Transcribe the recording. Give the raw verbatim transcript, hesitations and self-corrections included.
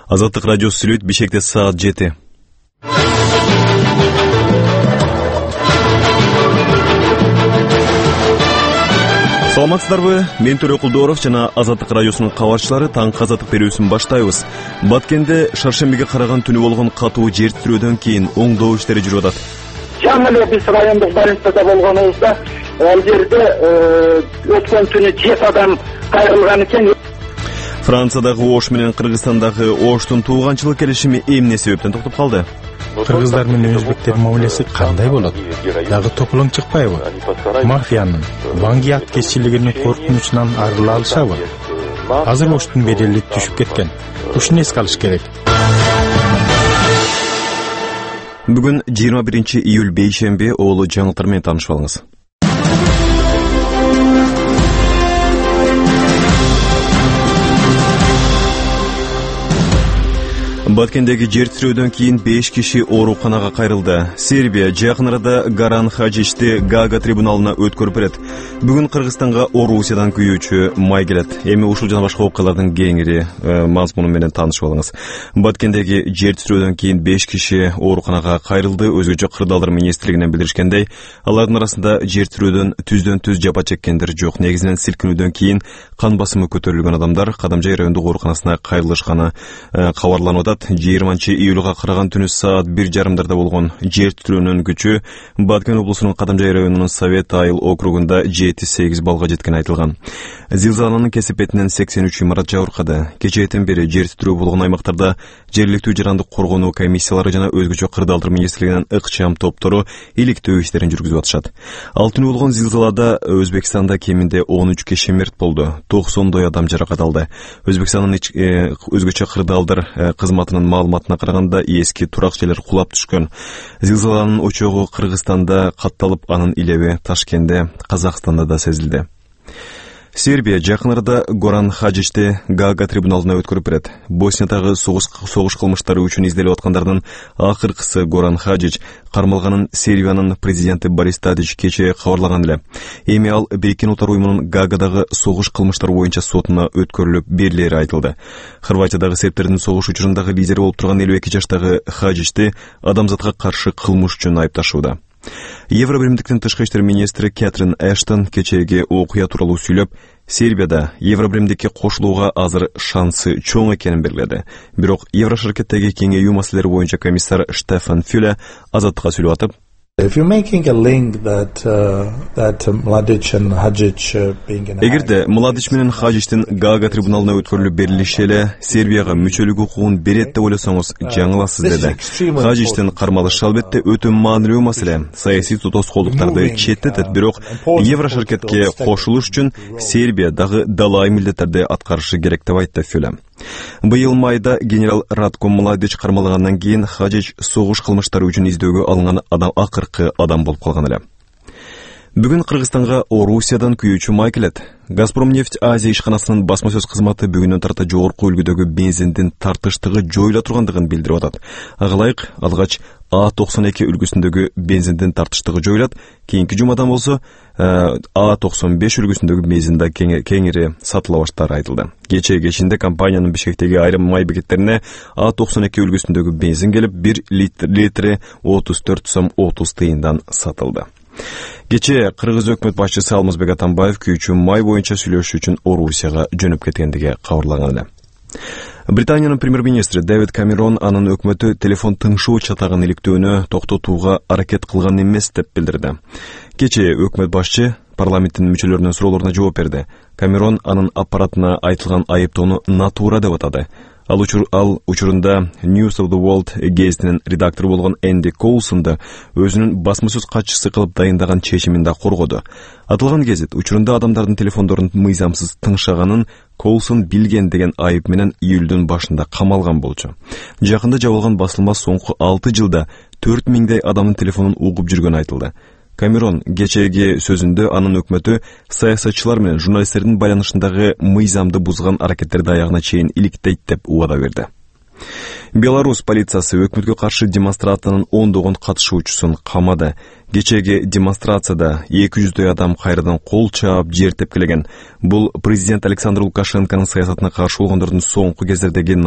Азаттык радиосу сүйлөйт, Бишкекте саат жети. Саламатсыздарбы? Мен Төрө Кулдоров жана Азаттык радиосунун кабарчылары таңкы азаттык берүүсүн баштайбыз. Баткенде шаршембиге караган түнү болгон катуу жер титирөөдөн кийин оңдоо иштери жүрүп атат. Жаңы эле биз райондук больницада болгонубузда ал жерде өткөн түнү жети адам кайрылган экен. Франциядагы Ош менен Кыргызстандагы Оштун тууганчылык келишими эмне себептен токтоп калды? Кыргыздар менен өзбектер мамилеси кандай болот? Дагы тополоң чыкпайбы? Мафиянын Ванги аткезчилигинин коркунучунан арыла алышабы? Азыр Оштун бедели түшүп кеткен. Ушуну эске алыш керек. Бүгүн жыйырма биринчи июль бейшемби, оолу жаңылыктар менен таанышып алыңыз. Баткендеги жер титирөөдөн кийин беш киши ооруканага кайрылды. Сербия жакын арада Горан Хаджичти Гага трибуналына өткөрүп берет. Бүгүн Кыргызстанга Орусиядан күйүүчү май келет. Эми ушул жана башка окуялардын кеңири мазмуну менен таанышып алыңыз. Баткендеги жер титирөөдөн кийин беш киши ооруканага кайрылды. Өзгөчө кырдаалдар министрлигинен билдиришкендей, алардын арасында жер титирөөдөн түздөн түз жапа чеккендер жок. Негизинен силкинүүдөн кийин кан басымы көтөрүлгөн адамдар Кадамжай райондук ооруканасына кайрылышканы кабарланып атат. жыйырманчы июлга караган түнү саат бир жарымдарда болгон жер титирөөнүн күчү Баткен облусунун Кадамжай районунун Совет Айыл округунда жети сегиз балга жеткени айтылган. Зилзаланын кесипетинен сексен үч имарат жабыркады. Кечээден бери жер титирөө болгон аймактарда жергиликтүү жарандык коргонуу комиссиялары жана өзгөчө кырдаалдар министрлигинин ыкчам топтору иликтөө иштерин жүргүзүп атышат. Ал түнү болгон зилзалада Өзбекстанда кеминде он үч киши мерт болду. токсондой адам жаракат алды. Өзбекстандын өзгөчө кырдаалдар кызматынын маалыматына караганда эски турак жерлер кулап түшкөн. Зилзаланын очогу Кыргызстанда катталып, анын илеби Ташкентте, Казакстанда да сезилди. Сербия жакын арада Горан Хаджичти Гага трибуналына өткөрүп берет. Босниядагы согуш согуш кылмыштары үчүн изделип аткандардын акыркысы Горан Хаджич кармалганын Сербиянын президенти Борис Тадич кечээ кабарлаган эле. Эми ал Бириккен Улуттар уюмунун Гагадагы согуш кылмыштары боюнча сотуна өткөрүлүп берилери айтылды. Хорватиядагы сербтердин согуш учурундагы лидери болуп турган элүү эки жаштагы Хаджичти адамзатка каршы кылмыш үчүн айыпташууда. Евробиримдиктин тышкы иштер министри Кэтрин Эштон кечээги окуя тууралуу сүйлөп, Сербияда Евробиримдикке кошулууга азыр шансы чоң экенин белгиледи. Бирок Евроширкеттеги кеңейүү маселелери боюнча комиссар Штефан Фюле Азаттыкка сүйлөп атып, Эгерде Младич менен Хаджичтин Гага трибуналына өткөрүлүп берилиши эле Сербияга мүчөлүк укугун берет деп ойлосоңуз жаңыласыз деди. Хаджичтин кармалышы албетте өтө маанилүү маселе. Саясий тоскоолдуктарды четтетет, бирок Евроширкетке кошулуш үчүн Сербия дагы далай милдеттерди аткарышы керек деп айтты Фюле. Быйыл майда генерал Радко Младич кармалгандан кийин Хаджич согуш кылмыштары үчүн издөөгө алынган адам акыркы адам болуп калган эле. Бүгүн Кыргызстанга Орусиядан күйүүчү май келет. Газпромнефть Азия ишканасынын басма сөз кызматы бүгүнөн тарта жогорку үлгүдөгү бензиндин тартыштыгы жоюла тургандыгын билдирип атат. Ага ылайык алгач А токсон эки үлгүсүндөгү бензиндин тартыштыгы жоюлат. Кийинки жумадан болсо А токсон беш үлгүсүндөгү бензин да кеңири сатыла баштаары айтылды. Кечээ кечинде компаниянын Бишкектеги айрым май бекеттерине А токсон эки үлгүсүндөгү бензин келип бир литри отуз төрт сом отуз тыйындан сатылды. Кечээ Кыргыз өкмөт башчысы Алмазбек Атамбаев күйүүчү май боюнча сүйлөшүү үчүн Орусияга жөнөп кеткендиги кабарлаган эле. Британиянын премьер-министри Дэвид Камерон анын өкмөтү телефон тыңшоо чатагын иликтөөнү токтотууга аракет кылган эмес деп билдирди. Кечээ өкмөт башчы парламенттин мүчөлөрүнүн суроолоруна жооп берди. Камерон анын аппаратына айтылган айыптоону натура деп атады. Ал учур ал учурунда News of the World гезитинин редактору болгон Энди Коулсонду өзүнүн басма сөз катчысы кылып дайындаган чечимин да коргоду. Атылган гезит учурунда адамдардын телефондорун мыйзамсыз тыңшаганын Коулсон билген деген айып менен июлдун башында камалган болчу. Жакында жабылган басылма соңку алты жылда төрт миңдей адамдын телефонун угуп жүргөнү айтылды. Камерон кечээги сөзүндө анын өкмөтү саясатчылар менен журналисттердин байланышындагы мыйзамды бузган аракеттерди аягына чейин иликтейт деп убада берди. Беларусь полициясы өкмөткө каршы демонстрациянын ондогон катышуучусун камады. Кечээги демонстрацияда эки жүздөй адам кайрадан кол чаап, жер тепкилеген. Бул президент Александр Лукашенконун саясатына каршы болгондордун соңку кездердеги